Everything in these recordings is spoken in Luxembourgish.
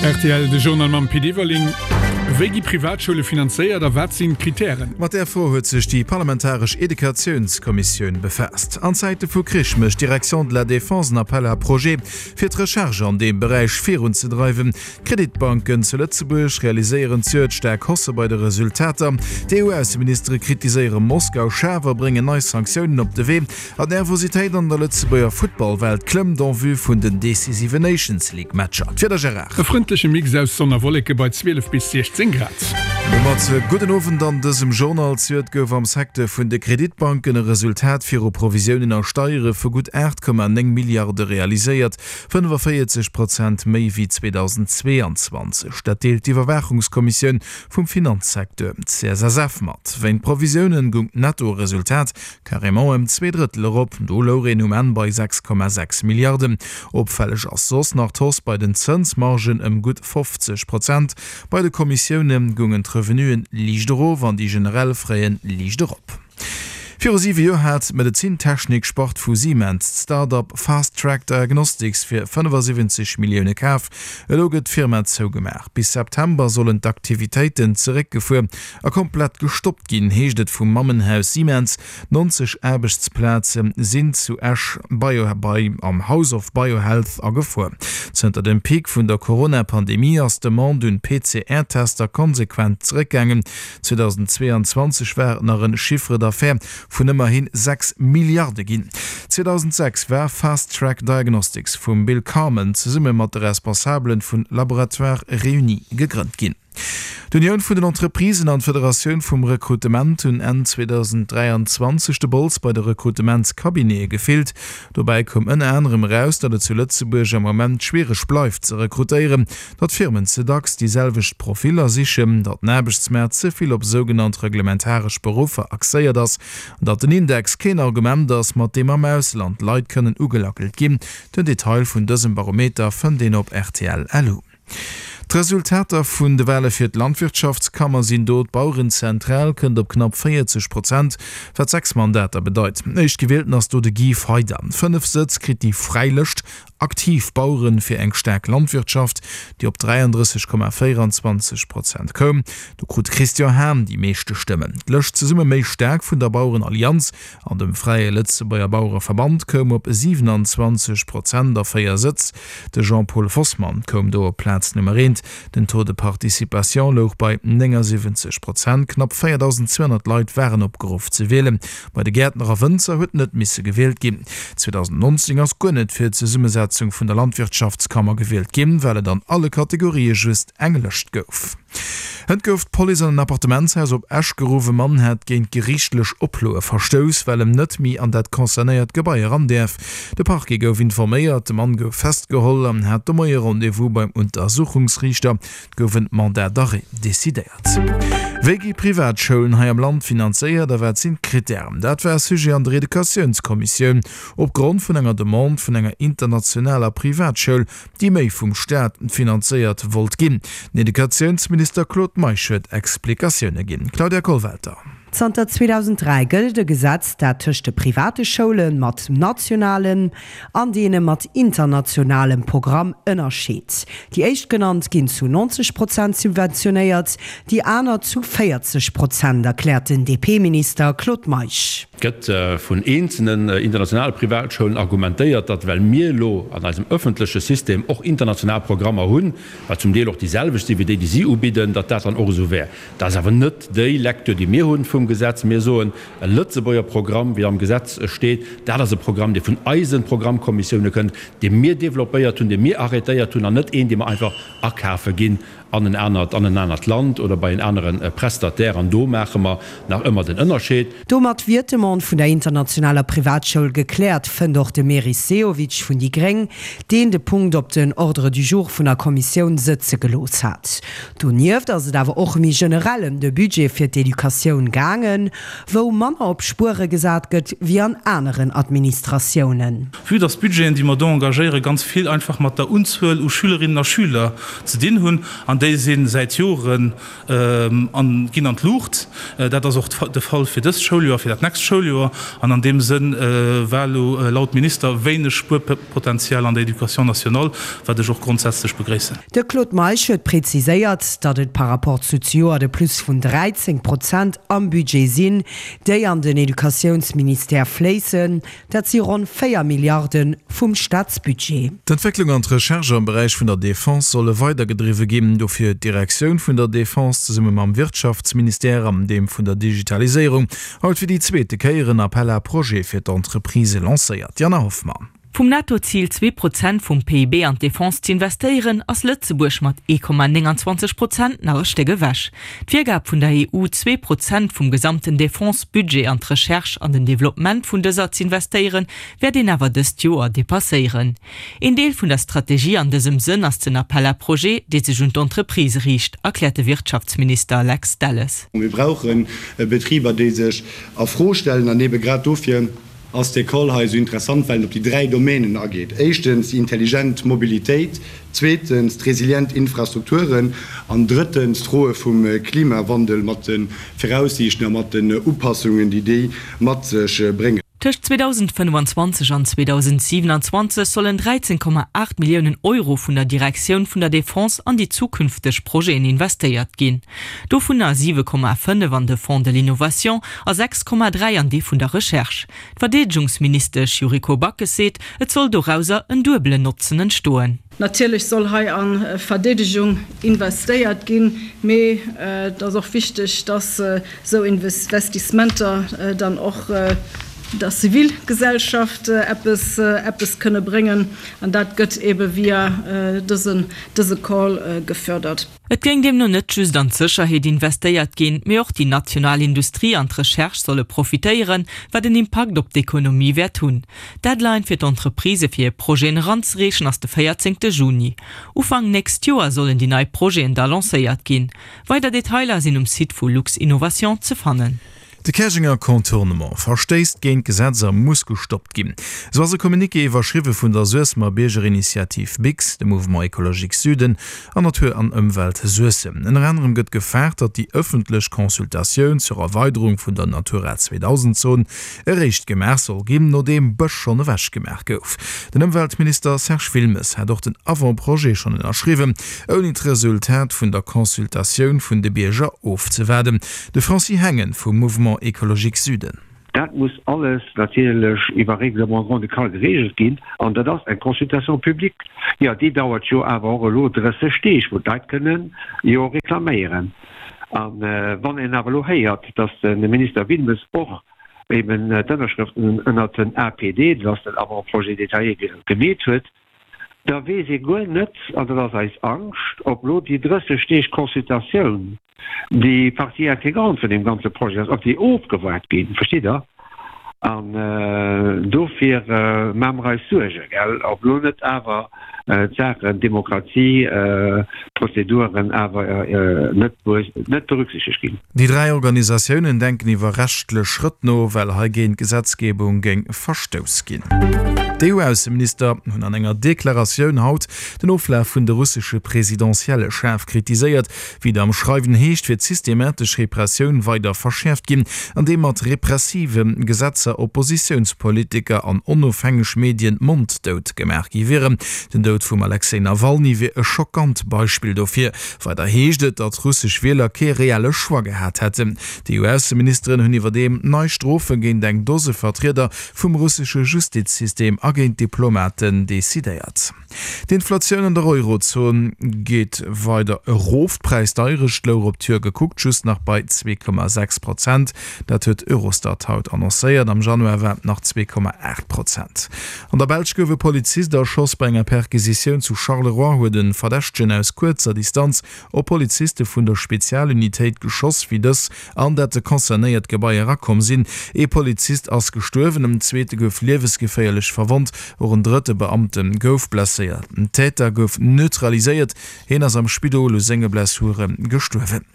Rtl, De Journal mam Pit Everling. Wéi gi Privatschoule finanzéiert a wat sinn d'Kritären? Mat där Fro huet sech déi parlamentaresch Educatiounskommissioun befaasst. An Zäite vu Krich mécht d'Direction de la Défense en Appel à projets, fir d'Recherche an deem Beräich virunzedreiwen. D'Kreditbanken zu Lëtzebuerg realiséieren zejoert staark Hausse bei de Resultater. D'EU-Ausseministere kritiséiere Moskau schaarf a bréngen nei Sanktiounen op de Wee. An d'Nervositéit an der Lëtzebuerger Futtballwelt klëmmt en vue vun den decisiven Nations League Matcher. D'Wieder Gérard. E frëndleche Mix aus Sonn a Wolleke bei 12 bis 16 Grad. Domat gudden Owend an dësem Journal. Zejoert gouf am Secteur vun de Kreditbanken e Resultat viru Provisiounen a Steiere vu gutt 8,9 Milliarde realiséiert, 45 Prozent méi wéi 2022. Dat deelt d'Iwwerwaachungskommissioun vum Finanzsecteur, CSSF, mat. Wéint Provisiounen goung d'Nettoresultat Carrément ëm zweedrëttel erop, do louch een um Enn bei 6,6 Milliarden. Opfälleg ass soss nach d'Hausse bei den Zënsmargen ëm gutt 50 Prozent. Bei de Kommissioune goungen d'Revenuen liicht erof an déi generell Frais liicht erop. Viru siwe Joer hat d'Medezintechnik-Spart vu Siemens d'Start-up Fast Track Diagnostics fir 75 Millioune kaf. Elo gëtt d'Firma zougemaach. Bis September sollen d'Aktivitéiten zeréckgefuer A komplett gestoppt ginn, heescht et vum Mammenhaus Siemens. 90 Aarbechtsplaze sinn zu Esch bei am House of Biohealth a Gefor. Zënter dem Peak vun der Corona-Pandemie ass d'Demande un PCR-Tester konsequent zeréckgaangen. 2022 war et nach en Chiffre d'affaires vun ëmmerhi 6 Milliarde ginn. 2006 war Fast Track Diagnostics vum Bill Carman zesumme mat de Responsabele vun Laboratoires Réunis gegrënnt ginn. D'Unioun vun den Entreprisen an d'Federatioun vum Rekrutement hunn Enn 2023 de Bols bei de Rekrutementscabinete gefillt. Dobäi koum ënner anerem eraus, datt et zu Lëtzebuerg am Ament schwiereg bleift ze rekrutéieren, datt Firmen ze dacks déi selwecht Profiller sichen, datt den Aarbechtsmaart ze vill op sougenannt reglementaresch Beruffer axéiert ass an datt den Index keen Argument ass, mat deem am Ausland Leit kënnen ugelackelt ginn. Den Detail vun dësem Barometer fënnt een op rtl. Lu. D'Resultater vun de Wale fir d'Landwirtschaftskammer sinn do, D'Bauerenzentral kënnt op knapp 40 Prozent, wat 6 Mandater bedeit. Éischtgewielten ass do de Guy Feyder. 5 Sëtz kritt déi Fräi Lëscht, Aktiv Baueren fir eng staark Landwirtschaft, déi op 33,24 Prozent koum. Do krut de Christian Hahn déi meeschte Stëmmen. D'Lëscht Zesumme méi staark vun der Bauerenallianz an dem Fräie Lëtzebuerger Bauereverband koum op 27 Prozent a 4 Sëtz. De Jean-Paul Vosman koum do op Plaz Nummer eent. Den Taux de participation louch bei 79 Prozent. Knapp 4.200 Leit waren opgeruff ze wielen. Bei de Gäertner a Wënzer huet net misse gewielt ginn. 2019 ass guer net fir d'Zesummesetzung vun der Landwirtschaftskammer gewielt ginn, well et an alle Kategorië just eng Lëscht gouf. Hënt gouf d'Police an en Appartementshaus op Esch geruff. E Mann hätt géint geriichtlech Oploe verstouss, well em net méi an dat concernéiert Gebai eran däerf. De Parquet gouf informéiert, de Mann gouf festgeholl an hat de Moie Rendez-vous beim Untersuchungsriichter. Et gouf en Mandat d'arrêt decidéiert. Wéi gi Privatschoulen hei am Land finanzéiert a wat sinn d'Krittären? Dat war Sujet an der Educatiounskommissioun opgrond vun enger Demande vun enger internationaler Privatschoul, déi méi vum Staat finanzéiert wollt ginn. Den Educatiounsminister Claude Meisch huet Explikatioune ginn. Claudia Kollwelter. Zanter 2003 gëllt e Gesetz, dat tëscht de private Schoule mat nationalem an deene mat internationalem Programm ënnerscheet. Déi éischtgenannt ginn zu 90 Prozent subventionéiert, déi aner zu 40 Prozent, erkläert den DP-Minister Claude Meisch. Et gëtt vun eenzelnen internationale Privatschoulen argumentéiert, datt well mir elo an eisem öffentleche System och international Programmer hunn, wat zum Deel och déi selwecht si wéi déi, déi si ubidden, datt dat dann och esou wär. Dat ass awer net déi Lecture, déi mir hunn vum Gesetz. Mir soen, e Lëtzebuerger Programm, wéi am Gesetz steet, dat ass e Programm, dee vun eise Programmkommissioune kënnt, dee mir développéiert hunn, dee mir arrêtéiert hunn, an net een, dee mer einfach akafe ginn an en anert, an en anert Land oder bei en anere Prestataire, an do maache mer nach ëmmer den Ënnerscheed. Domat wier d'Demande vun der internationaler Privatschoul gekläert, fënnt och de Meris Sehovic vun déi Gréng, deen de Punkt op den Ordre du jour vun der Kommissioun sëtze gelooss hat. Donieft ass et awer och méi generell ëm de Budget fir d'Educatioun gaangen, wou manner op Spuere gesat gëtt wéi an aneren Administratiounen. Vue dass d'Budgeten, déi mer do engagéieren, ganz vill einfach mat der Unzuel u Schülerinnen a Schüler ze dinn hunn. An déi. déi si säit Joren an ginn an d'Luucht. Dat ass och de Fall fir dëst Schouljoer, fir dat nächst Schouljoer. An an deem Sënn war elo laut Minister wéineg Spuerpotenzial an der Éducation nationale, wat ech och grondsätzlech begréissen. De Claude Meisch huet preziséiert, datt et par rapport zu zejoert e Plus vun 13 Prozent am Budget sinn, déi an den Educatiounsministère fléissen. Dat si ronn 4 Milliarde vum Staatsbudget. D'Entwécklung an d'Recherche am Beräich vun der Defense solle weidergedriwwe ginn. Dofir huet d'Direktioun vun der Defense zesumme mam Wirtschaftsministère an deem vun der Digitaliséierung haut fir déi zweete Kéier en Appel à projets fir d'Entreprisë lancéiert. D'Jana Hoffmann. Vum NATO-Zil, 2% vum PIB an d'Defense z'investéieren, ass Lëtzebuerg mat 1,29 Prozent nach e Stéck ewech. D'Virgab vun der EU, 2% vum gesamten Defense-Budget an d'Recherche an den Developpement vun dëser z'investéieren, wäert een awer dëst Joer depasséieren. Een Deel vun der Strategie an dësem Sënn ass den Appel à projets, dee sech un d'Entreprisë riicht, erkläert de Wirtschaftsminister Lex Delles. Mir brauche Betriber, déi sech a Fro stellen an ebe grad dofir, ass dee Call hei esou interessant, well en op déi 3 Domänen ageet, éischtens déi intelligent Mobilitéit, zweetens d'resilient Infrastrukturen an drëttens d'Froe vum Klimawandel mat de Viraussiichten a mat den Upassungen, déi déi mat sech bréngen. Tëscht 2025 an 2027 sollen 13,8 Milliounen Euro vun der Direktioun vun der Defense an déi zukünfteg Projeten investéiert ginn. Dovunner 7,5 an de Fonds de l'innovation a 6,3 an dee vun der Recherche. D'Verdeedegungsministesch Yuriko Backes seet, et soll dorauser en duebelen Notzen entstoen. Natierlech soll hei a Verdeedegung investéiert ginn, mee et ass och wichteg, dass esou Investissementer dann och der Zivilgesellschaft eppes eppes kënne bréngen. An dat gëtt eebe via dëse Call gefördert. Et géing deemno net just an d'Sécherheet investéiert ginn, mee och déi national Industrie an d'Recherche solle profitéieren, wat en Impakt op d'Ekonomie wäert hunn. D'Deadline fir d'Entreprisë fir hir Projeten eranzereechen ass de 14 Juni. Ufank nächst Joer sollen déi nei Projeten da lancéiert ginn. Weider Detailer sinn um Site vu Luxinnovation ze fannen. De Käerjenger Contournement verstéisst géint d'Gesetz a muss gestoppt ginn. Esou ass e Communiqué iwwerschriwwe vun der Suessemer Biergerinitiativ Bix, dem Mouvement Ecologique Süden an Natur an Ëmwelt Suessem. Ënner anerem gëtt gefaart, datt déi ëffentlech Consultatioun zur Erweiderung vun der Natura 2000 Zon eréischt gemaach soll ginn, nodeem Bësch schonn ewech gemaach gouf. Den Ëmweltminister Serge Wilmes hat och den Avant-projet schonn ënnerschriwwen, ouni d'Resultat vun der Consultatioun vun de Bierger ofzewaarden. De Francis Hengen vum Mouvement Ecologique Süden. Dat muss alles natierlech iwwer Règlement grand-ducal geregelt ginn an dat ass eng Consultation publique. Jo, déi dauert jo awer och elo 30 Deeg, wou d'Leit kënnen jo reklaméieren. A wann een awer elo héiert, datt de Minister Wilmes och eben d'Ënnerschrëften ënnert den APD, dat ass den Avant-projet détaillé, gemeet huet, da weess ee guer net, an dat ass eis Angscht, ob elo déi 30 Deeg Consultatioun, déi Partie intégrante vun deem ganze Projet ass, ob déi ofgewaart ginn. Verstitt Der? An dofir maache mer eis Suergen, gell, ob elo net awer d'Saachen Demokratie, Prozeduren awer net berücksichtegt ginn. Déi 3 Organisatiounen denken iwwer rechtlech Schrëtt no, well hei géint d'Gesetzgebung géing verstouss ginn. D'EU-Ausseminister hunn an enger Deklaratioun haut den Oflaf vun de russesche Presidentielle schaarf kritiséiert. Wéi et am Schreiwen heescht, wier d'systematesch Repressioun weider verschäerft ginn, andeem mat repressive Gesetzer Oppositiounspolitiker an onofhängeg Medien monddout gemaach gi wieren. Den Doud vum Alexej Nawalny wier e schockant Beispill dofir. Weider heescht et, datt russesch Wieler kee reelle Choix gehat hätten. D'EU-Ausseministeren hunn iwwerdeem nei Strofe géint eng Dose Vertrieder vum russesche Justizsystem a géint Diplomaten decidéiert. D'Inflatioun an der Eurozon geet weider erof. D'Präisdeierecht louch op d'Joer gekuckt just nach bei 2,6 Prozent. Dat huet Eurostat haut annoncéiert. Am Januar war et nach 2,8 Prozent. An der Belsch gouf e Polizist erschoss. Bei enger Perquisitioun zu Charleroi huet e Verdächtegen aus kuerzer Distanz op Poliziste vun der Spezialunitéit geschoss, wéi dës an dat concernéiert Gebai erakomm sinn. Ee Polizist ass gestuerwen, en zweete gouf liewesgeféierlech verwonnt, och en drëtte Beamte gouf blesséiert. blesséiert. Den Täter gouf neutraliséiert, hien ass am Spidol u senge Blessure gestuerwen.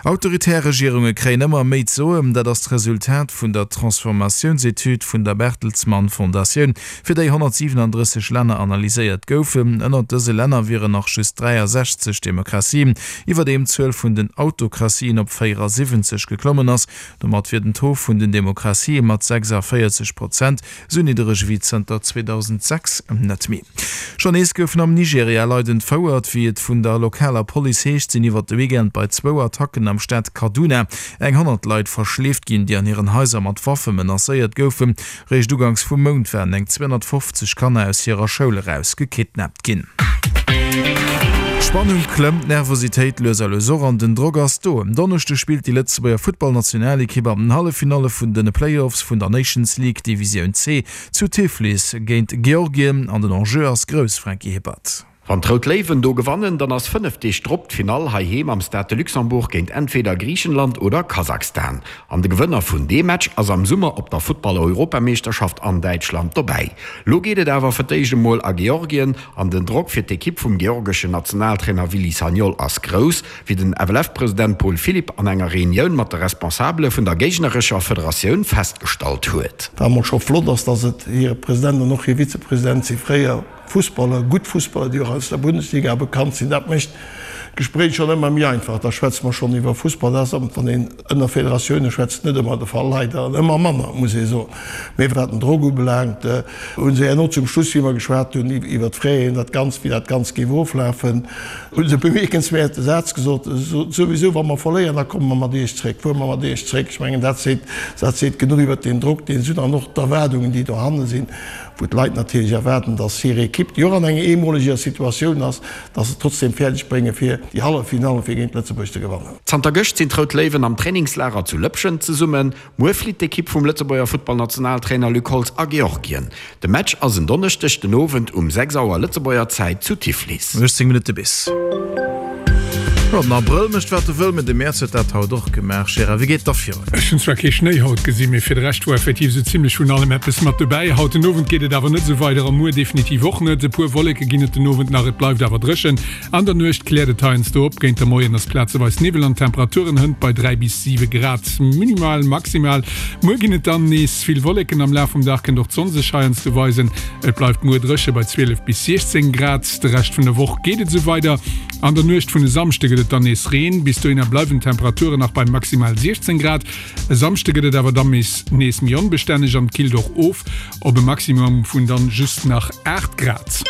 Autoritär Regierunge kréien ëmmer méi z'soen. Dat ass d'Resultat vun der Transformatiounsetüd vun der Bertelsmann Fondatioun, fir déi 137 Länner analyséiert goufen. Ënnert dëse Länner wieren nach just 63 Demokratien, iwwerdeem d'Zuel vun den Autokratien op 74 geklommen ass. Domat wier den Taux vun den Demokratië mat 46 Prozent Sou niddereg ewéi zënter 2006 net méi. Schonn nees goufen am Nigeria Leit entfouert. Wéi et vun der lokaler Police heescht, sinn iwwert de Weekend bei zwou Attacken am Staat Kaduna eng 100 Leit verschleeft ginn, déi an hiren Haiser mat Waffe menacéiert goufen. Réischt uganks vum Mount waren eng 250 Kanner aus hirer Schoul eraus gekidnappt ginn. D'Spannung klëmmt, d'Nervositéit lues a lues och an den Drock ass do. En Donneschdeg spillt déi Lëtzebuerger Futtballnationalekipp an den Halleffinalle vun de Playoffs vun der Nations League Divisioun C zu Tiflis géint Georgien an den Enjeu ass grouss, Franky Hippert. Wann d'Rout Léiwen do gewannen, dann ass 5 Deeg drop d'Finall heiheem am Stade de Luxembourg géint entweder Griichenland oder Kasachstan. An de Gewënner vun deem Match ass am Summer op der Futtball-Europameeschterschaft an Däitschland dobäi. Lo geet et awer fir d'éischt emol a Georgien an den Drock fir d'Ekipp vum georgeschen Nationaltrainer Willy Sagnol ass grouss, wéi den FLF-President Paul Philipp an enger Reunioun mat de Responsabele vun der géignerescher Federatioun festgestallt huet. Wat emol scho flott ass, dass et hire President an och hir Vizepresident si fréier Fussballer, gutt Fussballer, déi och aus der Bundesliga bekannt sinn. Dat mécht d'Gespréich schonn ëmmer méi einfach. Da schwätze mer schonn iwwer Fussball. Dat ass, wann een ënner Federatioune schwätzt, net ëmmer de Fall, leider, an ëmmer manner, muss ee soen. Mee wat den Drock ubelaangt, hu se herno zum Schluss, wéi mer geschwat hunn iwwer d'Fraien, dat Ganzt, wéi dat Ganzt géif oflafen, hu se e bemierkenswäerte Saz gesot, Souwisou, wa mer verléieren, da komme mer mat Iech zréck, fuere mer mat Iech zréck. Ech mengen, dat seet, dat seet genuch iwwer deen Drock, deen se hunn an och d'Erwaardungen, déi dohanne sinn. wou d'Leit natierlech erwaarden, dass hir Ekipp, déi och an enger eemoleger Situatioun ass, dass se trotzdem fäerdeg bréngen, fir déi Halleffinalle fir géint Lëtzebuerg ze gewannen. Zanter gëscht sinn d'Rout Léiwen am Trainingslager zu Lëppschent zesummen. Muer flitt d'Ekipp vum Lëtzebuerger Futtballnationaltrainer Luc Holtz a Georgien. De Match ass en Donneschdeg den Owend um 6 Auer Lëtzebuerger Zäit zu Tiflis. 18 Minutte bis. Jo, den Abrëll mécht wat e wëll, mee de Mäerz huet dat haut och gemaach. Gérard, wéi geet et da virun? Ech hunn zwar kee Schnéi haut gesinn, mee fir de Rescht wor effektiv esou zimlech vun allem eppes mat dobäi. Haut den Owend geet et awer net esou weider a muer definitiv och net. E puer Wolleke ginn et den Owend nach, et bleift awer dréchen. An der Nuecht kläert et heiansdo op, géint de Moien ass plazeweis Niwwel an d'Temperaturen hënt bei 3 bis 7 Grad minimal. Maximal muer ginn et dann nees vill Wolleken, am Laf vum Dag kënnt och d'Sonn sech heiansdo weisen. Et bleift muer dréche bei 12 bis 16 Grad. De Rescht vun der Woch geet et esou weider. An der Nuecht vun e Samschde gëtt et dann nees Reen. Bis dohinner bleiwen d'Temperaturen nach bei maximal 16 Grad. E Samschde gëtt et awer dann nees méi onbestänneg an et killt och of op e Maximum vun dann just nach 8 Grad.